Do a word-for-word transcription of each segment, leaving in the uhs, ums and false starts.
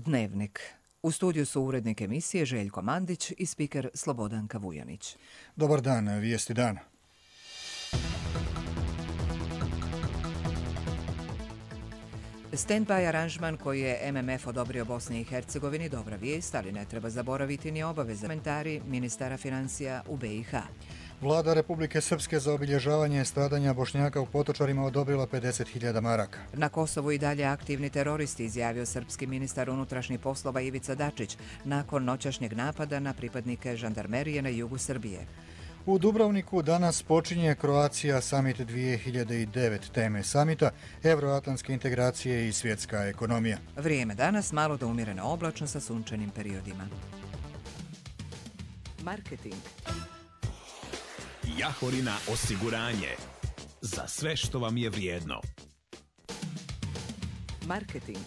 Dnevnik. U studiju su urednik emisije Željko Mandić i spiker Slobodanka Vujanić. Dobar dan, vijesti dana. Stand-by aranžman koji je M M F odobrio Bosni i Hercegovini dobra vijest, ali ne treba zaboraviti ni obaveze. Komentari ministara financija u B i H. Vlada Republike Srpske za obilježavanje stradanja Bošnjaka u Potočarima odobrila pedeset hiljada maraka. Na Kosovu i dalje aktivni teroristi, izjavio srpski ministar unutrašnjih poslova Ivica Dačić nakon noćašnjeg napada na pripadnike žandarmerije na jugu Srbije. U Dubrovniku danas počinje Croatia Summit dvije hiljade devet. Teme samita euroatlantske integracije i svjetska ekonomija. Vrijeme danas malo do umjereno oblačno sa sunčanim periodima. Marketing. Jahorina osiguranje. Za sve što vam je vrijedno. Marketing.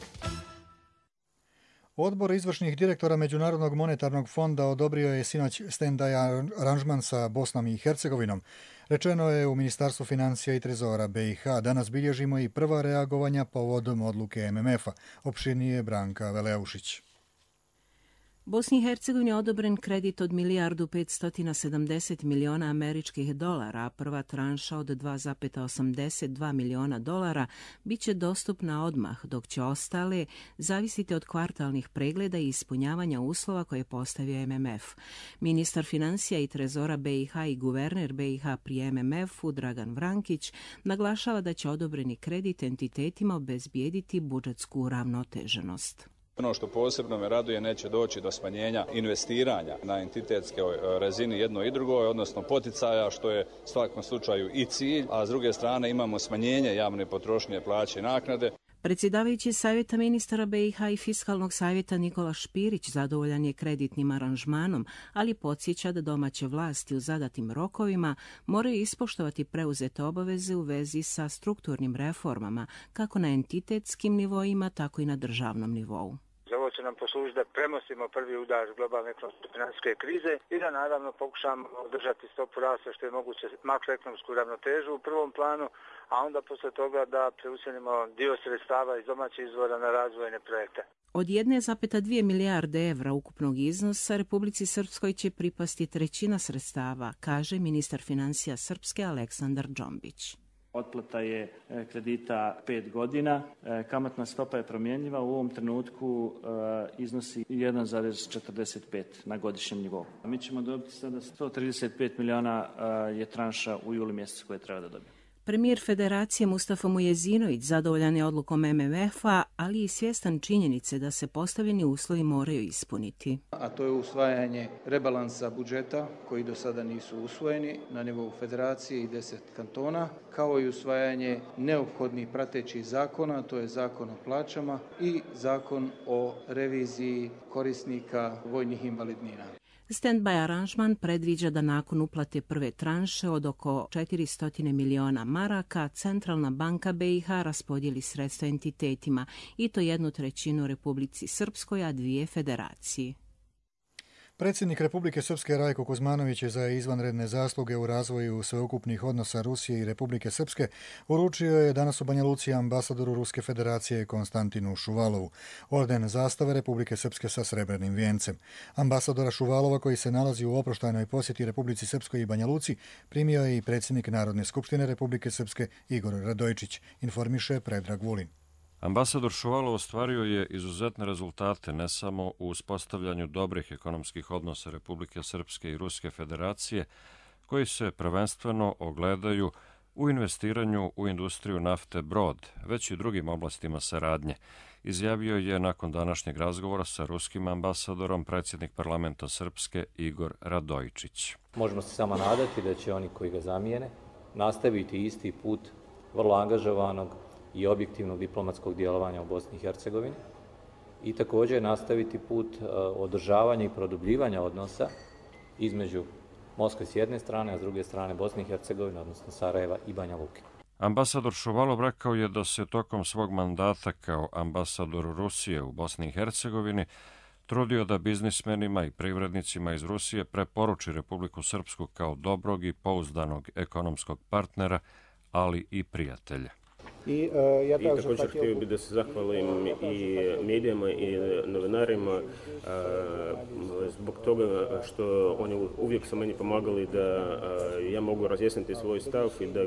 Odbor izvršnih direktora Međunarodnog monetarnog fonda odobrio je sinoć stand-by aranžman sa Bosnom i Hercegovinom. Rečeno je u Ministarstvu financija i trezora B i H. Danas bilježimo i prva reagovanja povodom odluke M M F-a. Opširnije Branka Veleušić. Bosni i Hercegovini je odobren kredit od milijardu petsto sedamdeset miliona američkih dolara, a prva tranša od dva zarez osamdeset dva miliona dolara bit će dostupna odmah, dok će ostale zavisiti od kvartalnih pregleda i ispunjavanja uslova koje je postavio M M F. Ministar financija i trezora B i H i guverner B i H pri M M F-u Dragan Vrankić naglašava da će odobreni kredit entitetima obezbijediti budžetsku uravnoteženost. Ono što posebno me raduje, neće doći do smanjenja investiranja na entitetskoj razini jedno i drugo, odnosno poticaja, što je u svakom slučaju i cilj, a s druge strane imamo smanjenje javne potrošnje, plaće i naknade. Predsjedavajući savjeta ministara B i H i fiskalnog savjeta Nikola Špirić zadovoljan je kreditnim aranžmanom, ali podsjeća da domaće vlasti u zadatim rokovima moraju ispoštovati preuzete obaveze u vezi sa strukturnim reformama, kako na entitetskim nivoima, tako i na državnom nivou. Ovo će nam poslužiti da premostimo prvi udar globalne ekonomske financijske krize i da naravno pokušamo održati stopu rasta što je moguće makroekonomsku ravnotežu u prvom planu, a onda posle toga da preusmjerimo dio sredstava iz domaćih izvora na razvojne projekte. Od jedne zarez dvije milijarde evra ukupnog iznosa Republici Srpskoj će pripasti trećina sredstava, kaže ministar financija Srpske Aleksandar Džombić. Otplata je kredita pet godina, kamatna stopa je promjenjiva, u ovom trenutku iznosi jedan zarez četrdeset pet na godišnjem nivou. Mi ćemo dobiti sada sto trideset pet miliona je tranša u julu mjesecu koje treba da dobijemo. Premijer Federacije Mustafa Mujezinović zadovoljan je odlukom M M F-a, ali i svjestan činjenice da se postavljeni uslovi moraju ispuniti. A to je usvajanje rebalansa budžeta koji do sada nisu usvojeni na nivou Federacije i deset kantona, kao i usvajanje neophodnih pratećih zakona, to je zakon o plaćama i zakon o reviziji korisnika vojnih invalidnina. Stand-by aranžman predviđa da nakon uplate prve tranše od oko četiristo miliona maraka, Centralna banka B i H raspodijeli sredstva entitetima, i to jednu trećinu Republici Srpskoj, a dvije Federaciji. Predsjednik Republike Srpske Rajko Kuzmanović je za izvanredne zasluge u razvoju sveukupnih odnosa Rusije i Republike Srpske uručio je danas u Banja Luci ambasadoru Ruske federacije Konstantinu Šuvalovu orden zastave Republike Srpske sa srebrnim vijencem. Ambasadora Šuvalova, koji se nalazi u oproštajnoj posjeti Republici Srpskoj i Banja Luci, primio je i predsjednik Narodne skupštine Republike Srpske Igor Radojičić, informiše Predrag Vulin. Ambasador Šuvalov ostvario je izuzetne rezultate ne samo u uspostavljanju dobrih ekonomskih odnosa Republike Srpske i Ruske federacije, koji se prvenstveno ogledaju u investiranju u industriju nafte Brod, već i drugim oblastima saradnje, izjavio je nakon današnjeg razgovora sa ruskim ambasadorom predsjednik parlamenta Srpske Igor Radojičić. Možemo se samo nadati da će oni koji ga zamijene nastaviti isti put vrlo angažovanog i objektivnog diplomatskog djelovanja u Bosni i Hercegovini i također nastaviti put održavanja i produbljivanja odnosa između Moskve s jedne strane, a s druge strane Bosne i Hercegovine, odnosno Sarajeva i Banja Luke. Ambasador Šuvalov rekao je da se tokom svog mandata kao ambasador Rusije u Bosni i Hercegovini trudio da biznismenima i privrednicima iz Rusije preporuči Republiku Srpsku kao dobrog i pouzdanog ekonomskog partnera, ali i prijatelja. I, uh, ja I također htio bih da se zahvalim i medijama i novinarima zbog toga što oni uvijek su meni pomagali da ja mogu razjasniti svoj stav i da,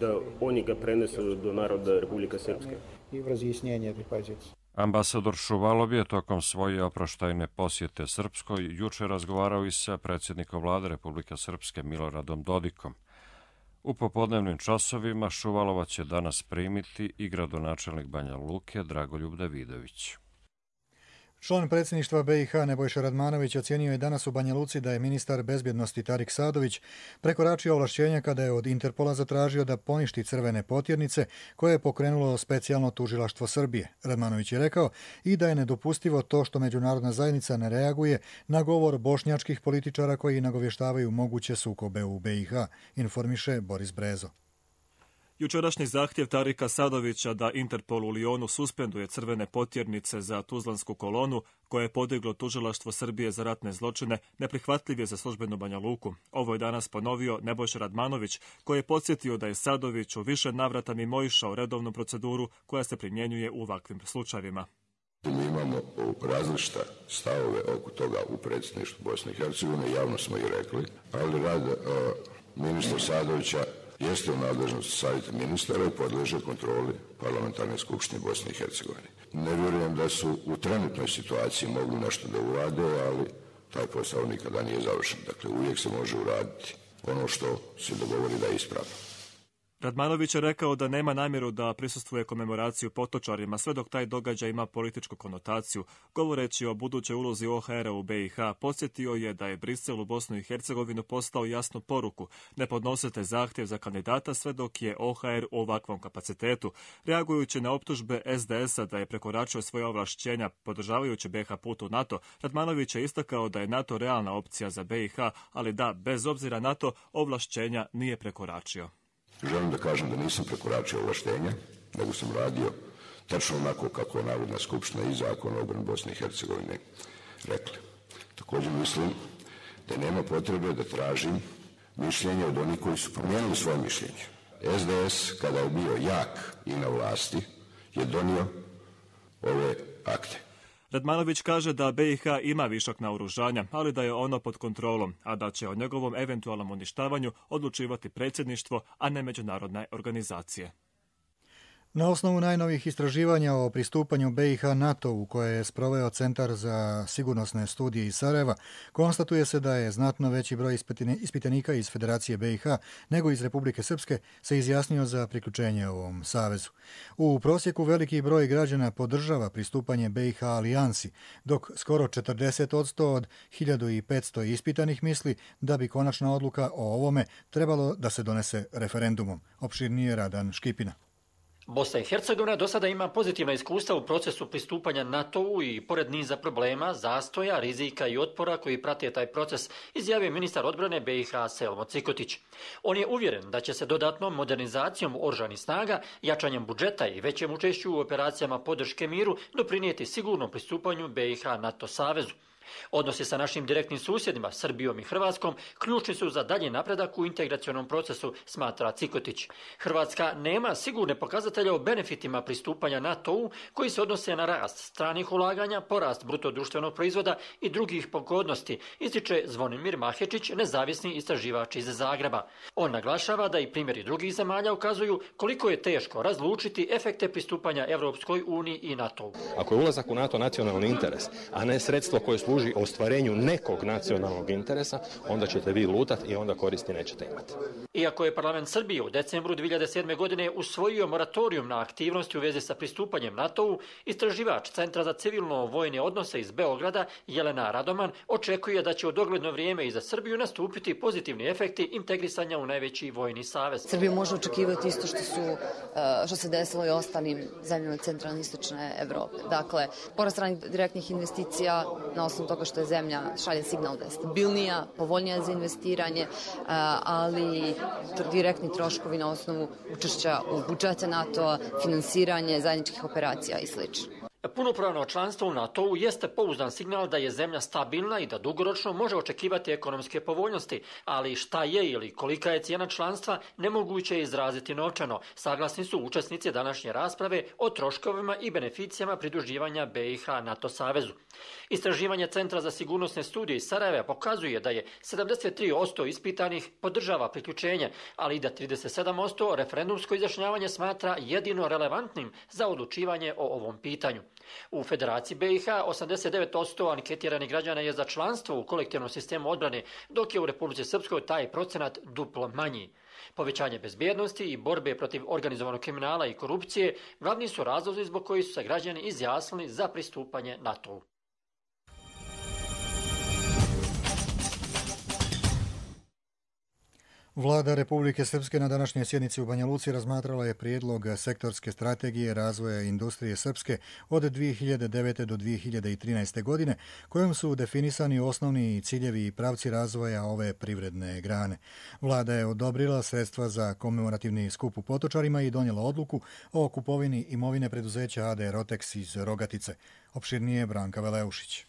da oni ga prenesu do naroda Republike Srpske. I v razjasnjenje te pozicije. Ambasador Šuvalov je tokom svoje oproštajne posjete Srpskoj juče razgovarao i sa predsjednikom vlade Republike Srpske Miloradom Dodikom. U popodnevnim časovima Šuvalova će danas primiti i gradonačelnik Banja Luke Dragoljub Davidović. Član predsjedništva B i H Nebojša Radmanović ocjenio je danas u Banja Luci da je ministar bezbjednosti Tarik Sadović prekoračio ovlašćenja kada je od Interpola zatražio da poništi crvene potjernice koje je pokrenulo specijalno tužilaštvo Srbije. Radmanović je rekao i da je nedopustivo to što međunarodna zajednica ne reaguje na govor bošnjačkih političara koji nagovještavaju moguće sukobe u B i H, informiše Boris Brezo. Jučerašnji zahtjev Tarika Sadovića da Interpol u Lijonu suspenduje crvene potjernice za tuzlansku kolonu koje je podiglo tužilaštvo Srbije za ratne zločine neprihvatljiv je za službenu Banja Luku. Ovo je danas ponovio Nebojša Radmanović koji je podsjetio da je Sadović u više navrata mimoišao redovnu proceduru koja se primjenjuje u ovakvim slučajevima. Mi imamo različite stavove oko toga u predsjedništvu Bosne i Hercegovine, javno smo i rekli, ali rad uh, ministra Sadovića jeste u nadležnosti savjeta ministara i podleže kontroli parlamentarne skupštine Bosne i Hercegovine. Ne vjerujem da su u trenutnoj situaciji mogli nešto da urade, ali taj posao nikada nije završen. Dakle, uvijek se može uraditi ono što se dogovori da je ispravno. Radmanović je rekao da nema namjeru da prisustvuje komemoraciju potočarima sve dok taj događaj ima političku konotaciju. Govoreći o budućoj ulozi O H R-a u B i H, podsjetio je da je Brisel u Bosnu i Hercegovinu poslao jasnu poruku: ne podnosite zahtjev za kandidata sve dok je O H R u ovakvom kapacitetu. Reagujući na optužbe S D S-a da je prekoračio svoje ovlašćenja podržavajući B i H put u NATO, Radmanović je istakao da je NATO realna opcija za B i H, ali da, bez obzira na to, ovlašćenja nije prekoračio. Želim da kažem da nisam prekoračio ovlaštenja, nego sam radio tačno onako kako je Narodna skupština i Zakon o obrani Bosne i Hercegovine rekli. Također mislim da nema potrebe da tražim mišljenje od onih koji su promijenili svoje mišljenje. S D S, kada je bio jak i na vlasti, je donio ove akte. Radmanović kaže da B i H ima višak naoružanja, ali da je ono pod kontrolom, a da će o njegovom eventualnom uništavanju odlučivati predsjedništvo, a ne međunarodne organizacije. Na osnovu najnovih istraživanja o pristupanju B i H NATO-u koje je sproveo Centar za sigurnosne studije iz Sarajeva, konstatuje se da je znatno veći broj ispitanika iz Federacije B i H nego iz Republike Srpske se izjasnio za priključenje ovom savezu. U prosjeku veliki broj građana podržava pristupanje B i H alijansi, dok skoro četrdeset posto od hiljadu petsto ispitanih misli da bi konačna odluka o ovome trebalo da se donese referendumom. Opširnije Radan Škipina. Bosna i Hercegovina do sada ima pozitivna iskustva u procesu pristupanja NATO-u i pored niza problema, zastoja, rizika i otpora koji prate taj proces, izjavio ministar odbrane B i H Selmo Cikotić. On je uvjeren da će se dodatnom modernizacijom oružanih snaga, jačanjem budžeta i većem učešću u operacijama podrške miru doprinijeti sigurnom pristupanju B i H NATO savezu. Odnosi sa našim direktnim susjedima, Srbijom i Hrvatskom, ključni su za dalji napredak u integracionom procesu, smatra Cikotić. Hrvatska nema sigurne pokazatelje o benefitima pristupanja NATO-u koji se odnose na rast stranih ulaganja, porast bruto društvenog proizvoda i drugih pogodnosti, ističe Zvonimir Mahečić, nezavisni istraživač iz Zagreba. On naglašava da i primjeri drugih zemalja ukazuju koliko je teško razlučiti efekte pristupanja Evropskoj uniji i NATO-u. Ako je ulazak u NATO nacionalni interes, a ne sredstvo koje služi ostvarenju nekog nacionalnog interesa, onda ćete vi lutati i onda koristi nećete imati. Iako je parlament Srbije u decembru dvije hiljade sedme. godine usvojio moratorijum na aktivnosti u vezi sa pristupanjem NATO-u, istraživač Centra za civilno-vojne odnose iz Beograda, Jelena Radoman, očekuje da će u dogledno vrijeme i za Srbiju nastupiti pozitivni efekti integrisanja u najveći vojni savez. Srbija može očekivati isto što, su, što se desilo i ostalim zemljama centralne i istočne Evrope. Dakle, porast stranih direktnih investicija na osnovu toga što je zemlja šalje signal da je stabilnija, povoljnija za investiranje, ali direktni troškovi na osnovu učešća u budžete NATO-a, finansiranje zajedničkih operacija i sl. Punopravno članstvo u NATO-u jeste pouzdan signal da je zemlja stabilna i da dugoročno može očekivati ekonomske povoljnosti, ali šta je ili kolika je cijena članstva nemoguće je izraziti novčano. Saglasni su učesnici današnje rasprave o troškovima i beneficijama pridruživanja B i H NATO savezu. Istraživanje Centra za sigurnosne studije iz Sarajeva pokazuje da je sedamdeset tri posto ispitanih podržava priključenje, ali i da trideset sedam posto referendumsko izjašnjavanje smatra jedino relevantnim za odlučivanje o ovom pitanju. U Federaciji B i H osamdeset devet posto anketiranih građana je za članstvo u kolektivnom sistemu odbrane, dok je u Republici Srpskoj taj procenat duplo manji. Povećanje bezbjednosti i borbe protiv organizovanog kriminala i korupcije glavni su razlozi zbog kojih su se građani izjasnili za pristupanje NATO-u. Vlada Republike Srpske na današnjoj sjednici u Banja Luci razmatrala je prijedlog sektorske strategije razvoja industrije srpske od dvije hiljade devete do dvije hiljade trinaeste. godine, kojom su definisani osnovni ciljevi i pravci razvoja ove privredne grane. Vlada je odobrila sredstva za komemorativni skup u Potočarima i donijela odluku o kupovini imovine preduzeća A D Rotex iz Rogatice. Opširnije Branka Veleušić.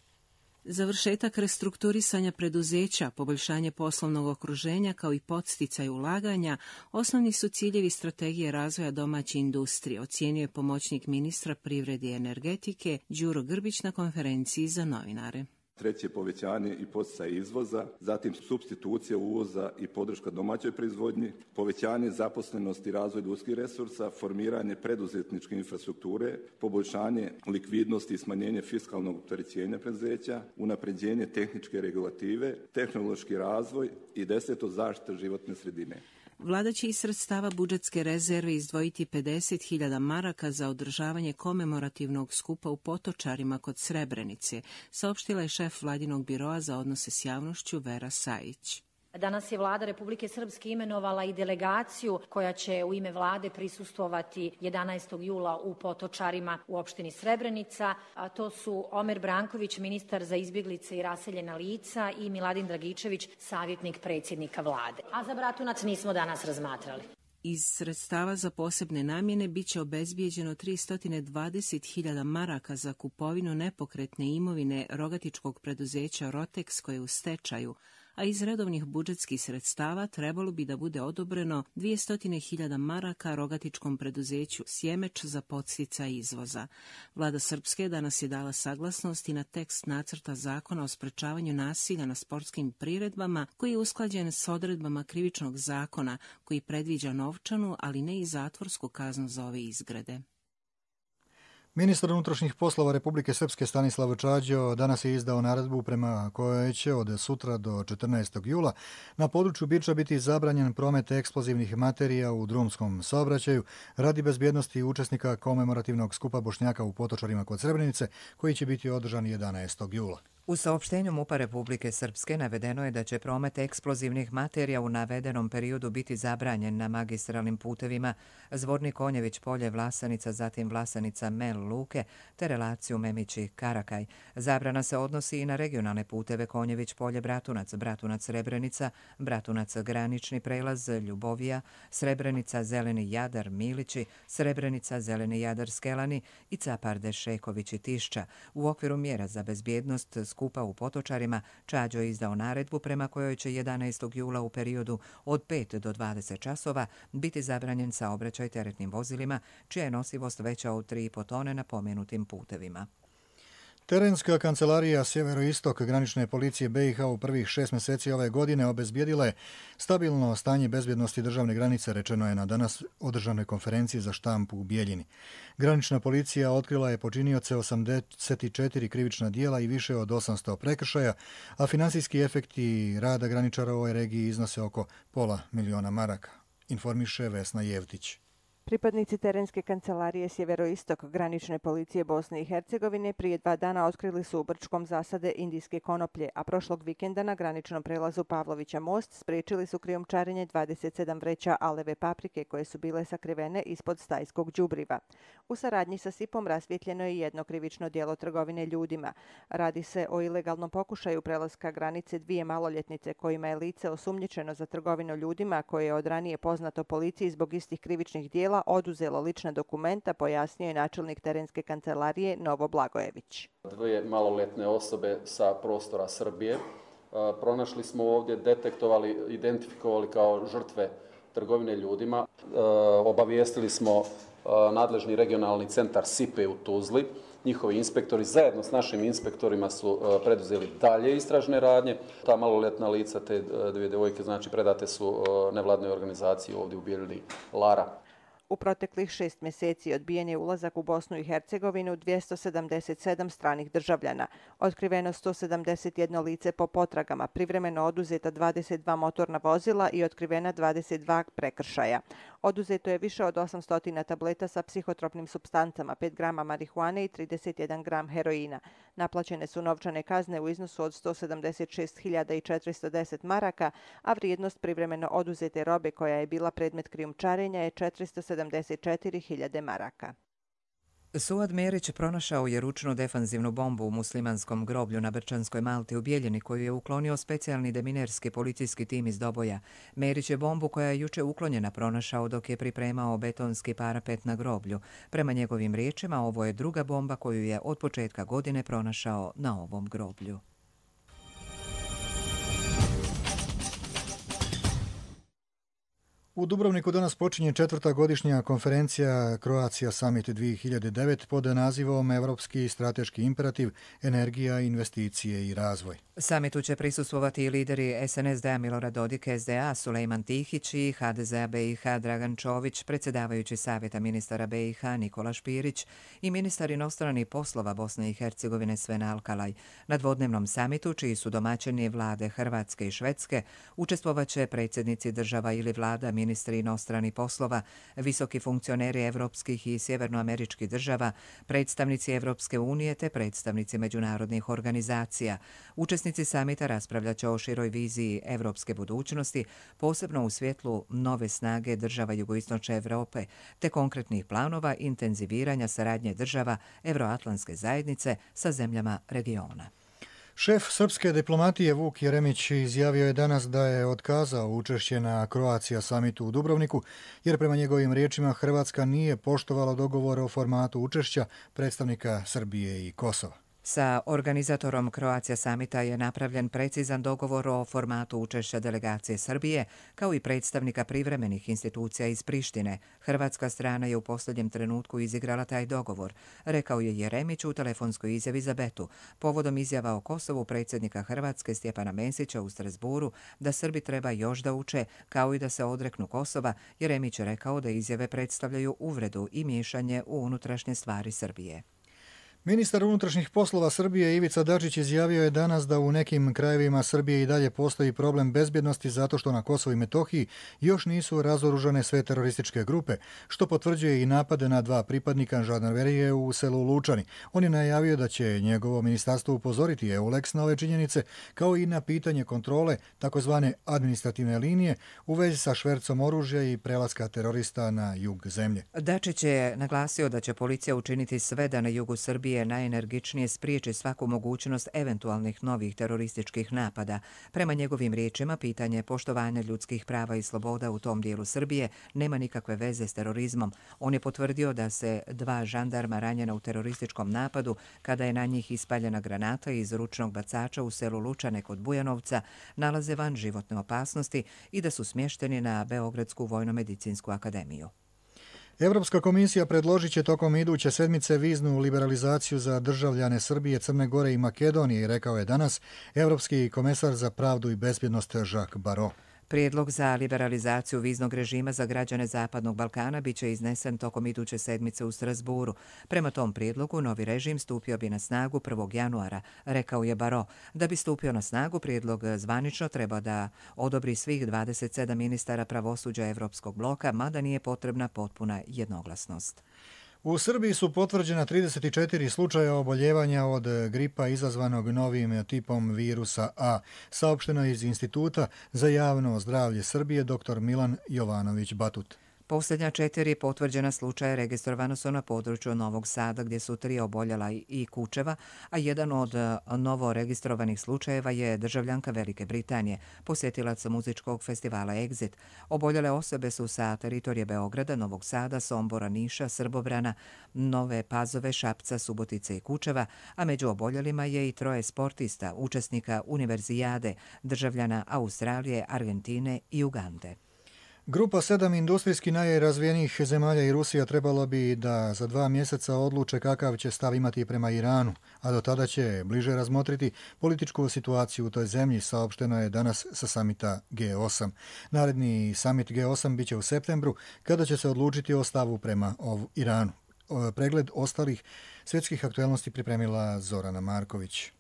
Završetak restrukturisanja preduzeća, poboljšanje poslovnog okruženja kao i podsticaj ulaganja osnovni su ciljevi strategije razvoja domaće industrije, ocijenio je pomoćnik ministra privrede i energetike Đuro Grbić na konferenciji za novinare. Treće, povećanje i poticaj izvoza, zatim supstitucija uvoza i podrška domaćoj proizvodnji, povećanje zaposlenosti i razvoj ljudskih resursa, formiranje preduzetničke infrastrukture, poboljšanje likvidnosti i smanjenje fiskalnog opterećenja preduzeća, unapređenje tehničke regulative, tehnološki razvoj i deseto, zaštita životne sredine. Vlada će iz sredstava budžetske rezerve izdvojiti pedeset hiljada maraka za održavanje komemorativnog skupa u Potočarima kod Srebrenice, saopštila je šef Vladinog biroa za odnose s javnošću Vera Sajić. Danas je Vlada Republike Srpske imenovala i delegaciju koja će u ime Vlade prisustvovati jedanaestog jula u Potočarima u opštini Srebrenica. A to su Omer Branković, ministar za izbjeglice i raseljena lica, i Miladin Dragičević, savjetnik predsjednika Vlade. A za Bratunac nismo danas razmatrali. Iz sredstava za posebne namjene biće obezbijeđeno tristo dvadeset hiljada maraka za kupovinu nepokretne imovine rogatičkog preduzeća Rotex koje je u stečaju, a iz redovnih budžetskih sredstava trebalo bi da bude odobreno dvjesto hiljada maraka rogatičkom preduzeću Sjemeč za podsticaj izvoza. Vlada Srpske danas je dala saglasnost i na tekst nacrta zakona o sprečavanju nasilja na sportskim priredbama, koji je usklađen s odredbama krivičnog zakona, koji predviđa novčanu, ali ne i zatvorsku kaznu za ove izgrede. Ministar unutrašnjih poslova Republike Srpske Stanislav Čađo danas je izdao naredbu prema kojoj će od sutra do četrnaestog jula na području Biča biti zabranjen promet eksplozivnih materija u drumskom saobraćaju radi bezbjednosti učesnika komemorativnog skupa Bošnjaka u Potočarima kod Srebrenice, koji će biti održan jedanaestog jula. U saopštenju MUP-a Republike Srpske navedeno je da će promet eksplozivnih materija u navedenom periodu biti zabranjen na magistralnim putevima Zvornik Konjević polje Vlasanica, zatim Vlasanica Mel Luke te relaciju Memići Karakaj. Zabrana se odnosi i na regionalne puteve Konjević polje Bratunac, Bratunac Srebrenica, Bratunac granični prelaz Ljubovija, Srebrenica Zeleni Jadar Milići, Srebrenica Zeleni Jadar Skelani i Caparde Šeković i Tišća. U okviru mjera za bezbjednost skupa u Potočarima Čađo je izdao naredbu prema kojoj će jedanaestog jula u periodu od pet do dvadeset časova biti zabranjen saobraćaj teretnim vozilima čija je nosivost veća od tri i po tone na pomenutim putevima. Terenska kancelarija Sjeveroistok granične policije B i H u prvih šest mjeseci ove godine obezbijedila je stabilno stanje bezbjednosti državne granice, rečeno je na danas održanoj konferenciji za štampu u Bijeljini. Granična policija otkrila je počinioce osamdeset četiri krivična dijela i više od osamsto prekršaja, a finansijski efekti rada graničara u ovoj regiji iznose oko pola miliona maraka, informiše Vesna Jevtić. Pripadnici terenske kancelarije Sjeveroistok granične policije Bosne i Hercegovine prije dva dana otkrili su u Brčkom zasade indijske konoplje, a prošlog vikenda na graničnom prelazu Pavlovića most spriječili su krijumčarenje dvadeset sedam vreća aleve paprike koje su bile sakrivene ispod stajskog đubriva. U saradnji sa S I P-om rasvjetljeno je jedno krivično djelo trgovine ljudima. Radi se o ilegalnom pokušaju prelaska granice dvije maloljetnice kojima je lice osumnjičeno za trgovinu ljudima koje je od ranije poznato policiji zbog istih krivičnih djela vozila oduzelo lična dokumenta, pojasnio je načelnik terenske kancelarije Novo Blagojević. Dvije maloletne osobe sa prostora Srbije pronašli smo ovdje, detektovali, identifikovali kao žrtve trgovine ljudima. Obavijestili smo nadležni regionalni centar SIPE u Tuzli. Njihovi inspektori zajedno s našim inspektorima su preduzeli dalje istražne radnje. Ta maloletna lica, te dvije djevojke, znači predate su nevladnoj organizaciji ovdje u Bijeljini Lara. U proteklih šest mjeseci odbijen je ulazak u Bosnu i Hercegovinu dvjesto sedamdeset sedam stranih državljana. Otkriveno sto sedamdeset jedno lice po potragama, privremeno oduzeta dvadeset dva motorna vozila i otkrivena dvadeset dva prekršaja. Oduzeto je više od osamsto tableta sa psihotropnim supstancama, pet grama marihuane i trideset jedan gram heroina. Naplaćene su novčane kazne u iznosu od sto sedamdeset šest hiljada četiristo deset maraka, a vrijednost privremeno oduzete robe koja je bila predmet krijumčarenja je četiristo sedamdeset četiri hiljade maraka. Suad Merić pronašao je ručnu defanzivnu bombu u muslimanskom groblju na Brčanskoj Malti u Bijeljini koju je uklonio specijalni deminerski policijski tim iz Doboja. Merić je bombu koja je juče uklonjena pronašao dok je pripremao betonski parapet na groblju. Prema njegovim riječima, ovo je druga bomba koju je od početka godine pronašao na ovom groblju. U Dubrovniku danas počinje četvrta godišnja konferencija Croatia Summit dvije hiljade devet pod nazivom Evropski strateški imperativ, energija, investicije i razvoj. Samitu će prisustvovati i lideri S N S D-a Milorad Dodik, S D A Sulejman Tihić i H D Z-a B i H Dragan Čović, predsjedavajući Savjeta ministara B i H Nikola Špirić i ministar inostranih poslova Bosne i Hercegovine Sven Alkalaj. Na dvodnevnom samitu, čiji su domaćini vlade Hrvatske i Švedske, učestvovaće predsjednici država ili vlada, ministri inostranih poslova, visoki funkcioneri evropskih i sjevernoameričkih država, predstavnici Evropske unije te predstavnici međunarodnih organizacija. Učesnici samita raspravljat će o široj viziji evropske budućnosti, posebno u svjetlu nove snage država jugoistočne Europe, te konkretnih planova intenziviranja saradnje država Evroatlantske zajednice sa zemljama regiona. Šef srpske diplomatije Vuk Jeremić izjavio je danas da je otkazao učešće na Croatia Summitu u Dubrovniku, jer prema njegovim riječima Hrvatska nije poštovala dogovor o formatu učešća predstavnika Srbije i Kosova. Sa organizatorom Croatia Summita je napravljen precizan dogovor o formatu učešća delegacije Srbije, kao i predstavnika privremenih institucija iz Prištine. Hrvatska strana je u posljednjem trenutku izigrala taj dogovor, rekao je Jeremić u telefonskoj izjavi za Betu, povodom izjava o Kosovu predsjednika Hrvatske Stjepana Mesića u Strasburu da Srbi treba još da uče, kao i da se odreknu Kosova. Jeremić je rekao da izjave predstavljaju uvredu i miješanje u unutrašnje stvari Srbije. Ministar unutrašnjih poslova Srbije Ivica Dačić izjavio je danas da u nekim krajevima Srbije i dalje postoji problem bezbjednosti zato što na Kosovu i Metohiji još nisu razoružane sve terorističke grupe, što potvrđuje i napade na dva pripadnika žandarmerije u selu Lučani. On je najavio da će njegovo ministarstvo upozoriti EULEX na ove činjenice, kao i na pitanje kontrole takozvane administrativne linije u vezi sa švercom oružja i prelaska terorista na jug zemlje. Dačić je naglasio da će policija učiniti sve da na jugu Srbije najenergičnije spriječi svaku mogućnost eventualnih novih terorističkih napada. Prema njegovim riječima, pitanje poštovanja ljudskih prava i sloboda u tom dijelu Srbije nema nikakve veze s terorizmom. On je potvrdio da se dva žandarma ranjena u terorističkom napadu kada je na njih ispaljena granata iz ručnog bacača u selu Lučane kod Bujanovca nalaze van životne opasnosti i da su smješteni na Beogradsku vojno-medicinsku akademiju. Evropska komisija predložit će tokom iduće sedmice viznu liberalizaciju za državljane Srbije, Crne Gore i Makedonije, rekao je danas Evropski komesar za pravdu i bezbjednost Jacques Barrot. Prijedlog za liberalizaciju viznog režima za građane Zapadnog Balkana biće iznesen tokom iduće sedmice u Strasburu. Prema tom prijedlogu, novi režim stupio bi na snagu prvog januara, rekao je Barrot. Da bi stupio na snagu, prijedlog zvanično treba da odobri svih dvadeset sedam ministara pravosuđa Evropskog bloka, mada nije potrebna potpuna jednoglasnost. U Srbiji su potvrđena trideset četiri slučaja oboljevanja od gripa izazvanog novim tipom virusa A, saopšteno iz Instituta za javno zdravlje Srbije dr Milan Jovanović Batut. Posljednja četiri potvrđena slučaja registrovano su na području Novog Sada gdje su tri oboljela i Kučeva, a jedan od novo registrovanih slučajeva je državljanka Velike Britanije, posjetilac muzičkog festivala Exit. Oboljele osobe su sa teritorije Beograda, Novog Sada, Sombora, Niša, Srbobrana, Nove Pazove, Šapca, Subotice i Kučeva, a među oboljelima je i troje sportista, učesnika Univerzijade, državljana Australije, Argentine i Ugande. Grupa sedam industrijski najrazvijenijih zemalja i Rusija trebalo bi da za dva mjeseca odluče kakav će stav imati prema Iranu, a do tada će bliže razmotriti političku situaciju u toj zemlji, saopšteno je danas sa samita G osam. Naredni samit G osam biće u septembru, kada će se odlučiti o stavu prema Iranu. Pregled ostalih svjetskih aktualnosti pripremila Zorana Marković.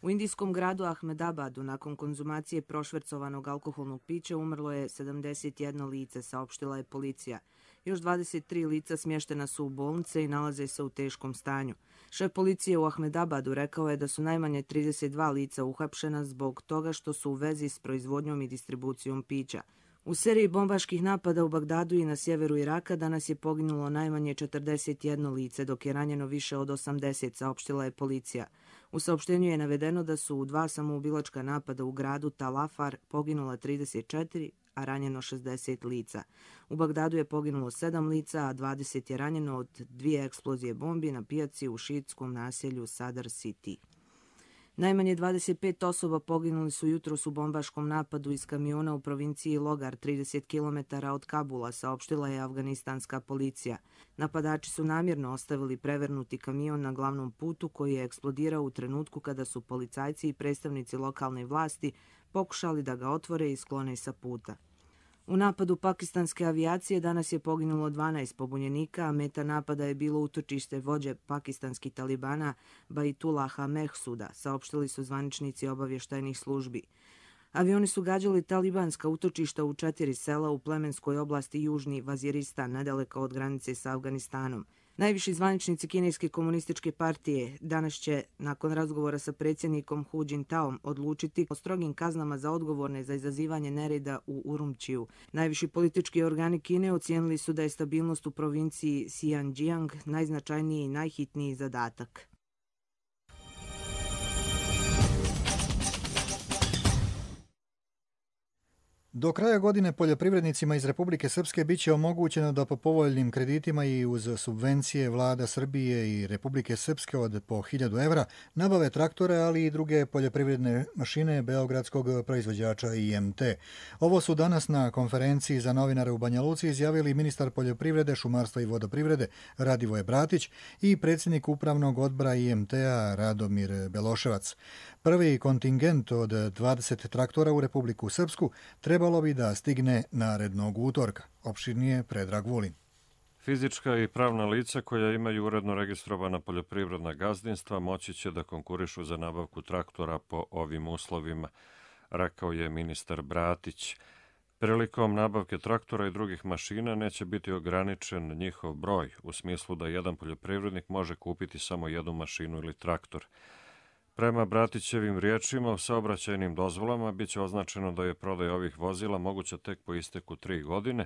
U indijskom gradu Ahmedabadu nakon konzumacije prošvercovanog alkoholnog pića umrlo je sedamdeset jedno lice, saopštila je policija. Još dvadeset tri lica smještena su u bolnice i nalaze se u teškom stanju. Šef policije u Ahmedabadu rekao je da su najmanje trideset dva lica uhapšena zbog toga što su u vezi s proizvodnjom i distribucijom pića. U seriji bombaških napada u Bagdadu i na sjeveru Iraka danas je poginulo najmanje četrdeset jedno lice, dok je ranjeno više od osamdeset, saopštila je policija. U saopštenju je navedeno da su u dva samoubilačka napada u gradu Tal Afar poginula trideset četiri, a ranjeno šezdeset lica. U Bagdadu je poginulo sedam lica, a dvadeset je ranjeno od dvije eksplozije bombi na pijaci u šiitskom naselju Sadr City. Najmanje dvadeset pet osoba poginuli su jutros u bombaškom napadu iz kamiona u provinciji Logar, trideset kilometara od Kabula, saopštila je afganistanska policija. Napadači su namjerno ostavili prevrnuti kamion na glavnom putu koji je eksplodirao u trenutku kada su policajci i predstavnici lokalne vlasti pokušali da ga otvore i sklone sa puta. U napadu pakistanske avijacije danas je poginulo dvanaest pobunjenika, a meta napada je bilo utočište vođe pakistanskih talibana Baitullaha Mehsuda, saopštili su zvaničnici obavještajnih službi. Avioni su gađali talibanska utočišta u četiri sela u plemenskoj oblasti Južni Vaziristan, nedaleko od granice sa Afganistanom. Najviši zvaničnici Kineske komunističke partije danas će, nakon razgovora sa predsjednikom Hu Jintaom, odlučiti o strogim kaznama za odgovorne za izazivanje nereda u Urumčiju. Najviši politički organi Kine ocijenili su da je stabilnost u provinciji Xinjiang najznačajniji i najhitniji zadatak. Do kraja godine poljoprivrednicima iz Republike Srpske bit će omogućeno da po povoljnim kreditima i uz subvencije vlada Srbije i Republike Srpske od po hiljadu evra nabave traktore, ali i druge poljoprivredne mašine beogradskog proizvođača I M T. Ovo su danas na konferenciji za novinare u Banja Luci izjavili ministar poljoprivrede, šumarstva i vodoprivrede Radivoje Bratić i predsjednik upravnog odbora I M T-a Radomir Beloševac. Prvi kontingent od dvadeset traktora u Republiku Srpsku trebalo bi da stigne narednog utorka. Opširnije Predrag Vulin. Fizička i pravna lica koja imaju uredno registrovana poljoprivredna gazdinstva moći će da konkurišu za nabavku traktora po ovim uslovima, rekao je ministar Bratić. Prilikom nabavke traktora i drugih mašina neće biti ograničen njihov broj, u smislu da jedan poljoprivrednik može kupiti samo jednu mašinu ili traktor. Prema Bratićevim riječima, u saobraćajnim dozvolama biće označeno da je prodaj ovih vozila moguća tek po isteku tri godine,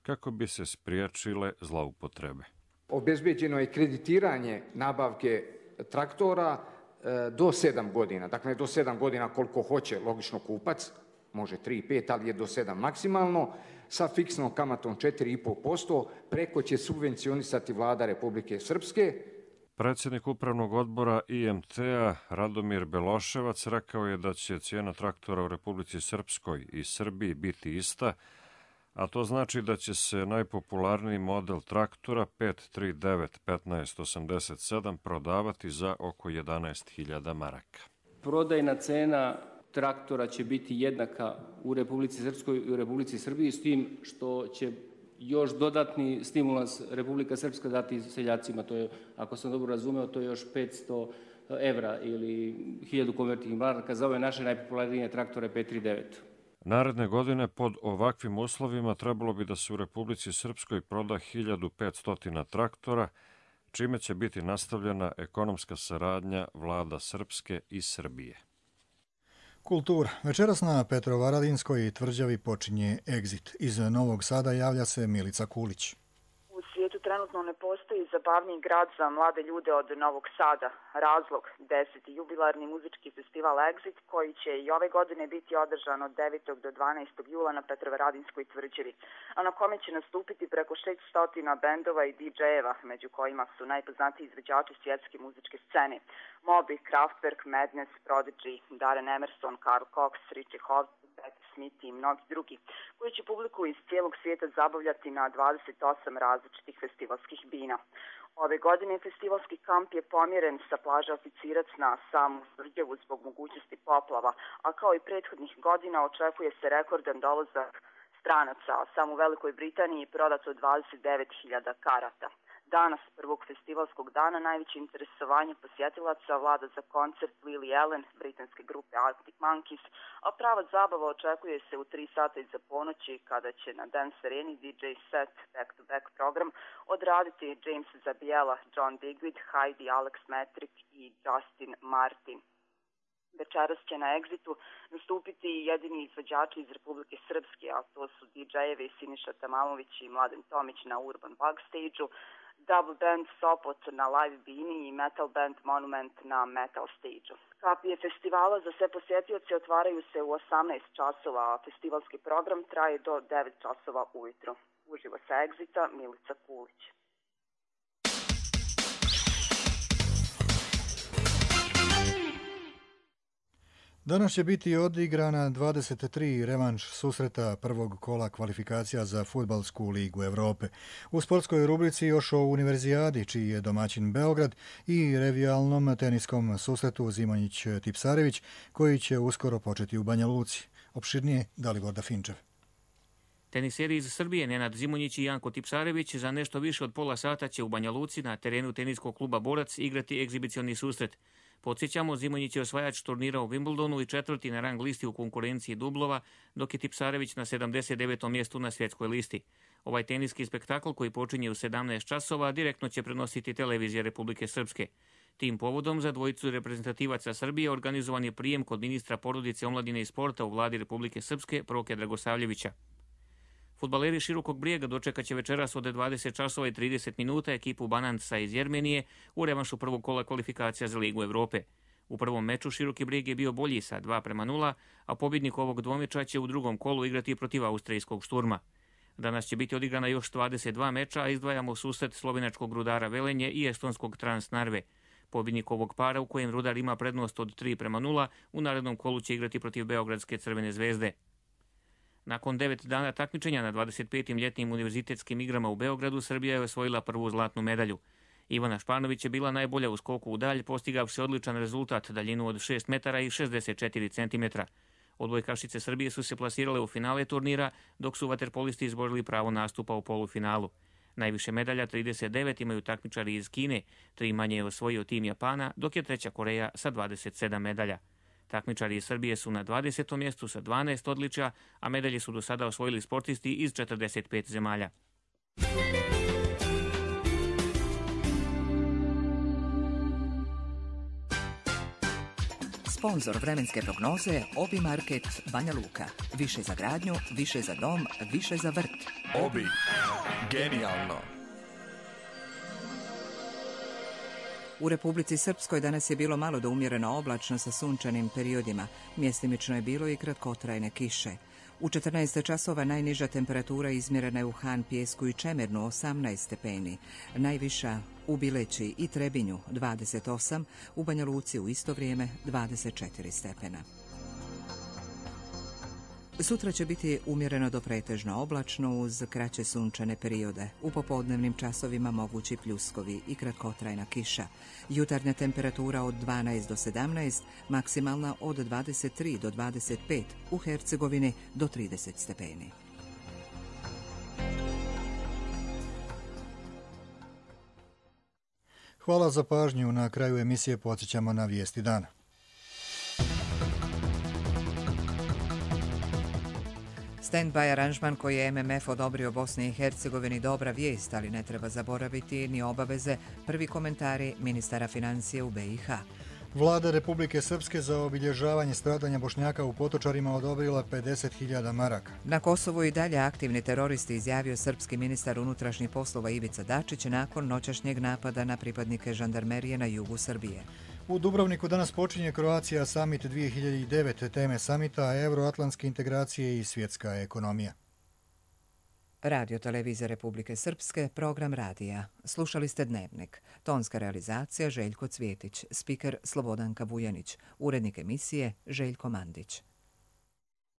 kako bi se spriječile zloupotrebe. Obezbeđeno je kreditiranje nabavke traktora do sedam godina. Dakle, do sedam godina koliko hoće, logično kupac, može tri, pet, ali je do sedam maksimalno, sa fiksnom kamatom četiri zarez pet posto, preko će subvencionisati vlada Republike Srpske. Predsjednik upravnog odbora I M T-a Radomir Beloševac rekao je da će cijena traktora u Republici Srpskoj i Srbiji biti ista, a to znači da će se najpopularniji model traktora pet tri devet petnaest osamdeset sedam prodavati za oko jedanaest hiljada maraka. Prodajna cena traktora će biti jednaka u Republici Srpskoj i u Republici Srbiji, s tim što će još dodatni stimulans Republika Srpska dati seljacima. To je, ako sam dobro razumeo, to je još petsto evra ili hiljadu konvertnih maraka za ove naše najpopularnije traktore pet tri devet. Naredne godine pod ovakvim uslovima trebalo bi da se u Republici Srpskoj proda hiljadu petsto traktora, čime će biti nastavljena ekonomska saradnja vlada Srpske i Srbije. Kultura. Večeras na Petrovaradinskoj tvrđavi počinje Exit. Iz Novog Sada javlja se Milica Kulić. U svijetu trenutno ne postoji zabavniji grad za mlade ljude od Novog Sada. Razlog, deseti jubilarni muzički festival Exit, koji će i ove godine biti održan od devetog do dvanaestog jula na Petrovaradinskoj tvrđavi, a na kome će nastupiti preko šesto bendova i didžejeva, među kojima su najpoznatiji izvođači svjetske muzičke scene: Moby, Kraftwerk, Madness, Prodigy, Darren Emerson, Carl Cox, Richie Hawtin, Patti Smith i mnogi drugi, koji će publiku iz cijelog svijeta zabavljati na dvadeset osam različitih festivalskih bina. Ove godine festivalski kamp je pomjeren sa plaže Oficirac na samu tvrđavu zbog mogućnosti poplava, a kao i prethodnih godina očekuje se rekordan dolazak stranaca, a samo u Velikoj Britaniji prodato dvadeset devet hiljada karata. Danas, prvog festivalskog dana, najveće interesovanje posjetilaca vlada za koncert Lily Allen, britanske grupe Arctic Monkeys, a prava zabava očekuje se u tri sata iza ponoći, kada će na Dance Areni D J set back-to-back program odraditi James Zabiela, John Digweed, Heidi, Alex Metric i Justin Martin. Večeras će na Exitu nastupiti jedini izvođači iz Republike Srpske, a to su didžejevi Siniša Tamamović i Mladen Tomić na Urban Bug stage-u, Double Band Sopot na Live Bini i Metal Band Monument na Metal stage-u. Kapije festivala za sve posjetioce otvaraju se u osamnaest časova, a festivalski program traje do devet časova ujutro. Uživo sa Exita, Milica Kulić. Danas će biti odigrana dvadeset tri revanš susreta prvog kola kvalifikacija za Fudbalsku ligu Evrope. U sportskoj rubrici još o Univerzijadi, čiji je domaćin Beograd, i revijalnom teniskom susretu Zimonjić-Tipsarević, koji će uskoro početi u Banja Luci. Opširnije Dalibor Finčev. Teniseri iz Srbije Nenad Zimonjić i Janko Tipsarević za nešto više od pola sata će u Banja Luci na terenu teniskog kluba Borac igrati egzibicioni susret. Podsjećamo, Zimonjić je osvajač turnira u Wimbledonu i četvrti na rang listi u konkurenciji dublova, dok je Tipsarević na sedamdeset devetom mjestu na svjetskoj listi. Ovaj teniski spektakl, koji počinje u sedamnaest časova, direktno će prenositi televizija Republike Srpske. Tim povodom za dvojicu reprezentativaca Srbije organizovan je prijem kod ministra porodice, omladine i sporta u vladi Republike Srpske Proke Dragosavljevića. Fudbaleri Širokog Brijega dočekat će večeras od dvadeset časova i trideset minuta ekipu Bananca iz Jermenije u revanšu prvog kola kvalifikacija za Ligu Evrope. U prvom meču Široki Brijeg je bio bolji sa dva prema nula, a pobjednik ovog dvomeča će u drugom kolu igrati protiv austrijskog Šturma. Danas će biti odigrana još dvadeset dva meča, a izdvajamo susret slovenačkog Rudara Velenje i estonskog Transnarve. Pobjednik ovog para, u kojem Rudar ima prednost od tri prema nula, u narednom kolu će igrati protiv Beogradske Crvene zvezde. Nakon devet dana takmičenja na dvadeset petim ljetnim univerzitetskim igrama u Beogradu, Srbija je osvojila prvu zlatnu medalju. Ivana Španović je bila najbolja u skoku u dalj, postigavši odličan rezultat, daljinu od šest metara i šezdeset četiri centimetra. Odbojkašice Srbije su se plasirale u finale turnira, dok su vaterpolisti izborili pravo nastupa u polufinalu. Najviše medalja, trideset devet, imaju takmičari iz Kine, tri manje je osvojio tim Japana, dok je treća Koreja sa dvadeset sedam medalja. Takmičari iz Srbije su na dvadesetom mjestu sa dvanaest odličja, a medalje su do sada osvojili sportisti iz četrdeset pet zemalja. Sponzor vremenske prognoze Obi Market Banja Luka. Više za gradnju, više za dom, više za vrt. Obi. Genijalno. U Republici Srpskoj danas je bilo malo do umjereno oblačno sa sunčanim periodima. Mjestimično je bilo i kratkotrajne kiše. U četrnaest časova najniža temperatura izmjerena je u Han, Pijesku i Čemernu osamnaest stepeni. Najviša u Bileći i Trebinju dvadeset osam, u Banja Luci u isto vrijeme dvadeset četiri stepena. Sutra će biti umjereno do pretežno oblačno uz kraće sunčane periode. U popodnevnim časovima mogući pljuskovi i kratkotrajna kiša. Jutarnja temperatura od dvanaest do sedamnaest, maksimalna od dvadeset tri do dvadeset pet, u Hercegovini do trideset stepeni. Hvala za pažnju. Na kraju emisije podsjećamo na vijesti dana. Stand-by aranžman koji je M M F odobrio Bosni i Hercegovini dobra vijest, ali ne treba zaboraviti ni obaveze. Prvi komentari ministara financije u B i H. Vlada Republike Srpske za obilježavanje stradanja Bošnjaka u Potočarima odobrila pedeset hiljada maraka. Na Kosovu i dalje aktivni teroristi, izjavio srpski ministar unutrašnjih poslova Ivica Dačić nakon noćašnjeg napada na pripadnike žandarmerije na jugu Srbije. U Dubrovniku danas počinje Croatia Summit dvije hiljade devet. Teme samita euroatlantske integracije i svjetska ekonomija. Radio televizija Republike Srpske, program radija. Slušali ste Dnevnik. Tonska realizacija Željko Cvjetić, spiker Slobodanka Vujanić, urednik emisije Željko Mandić.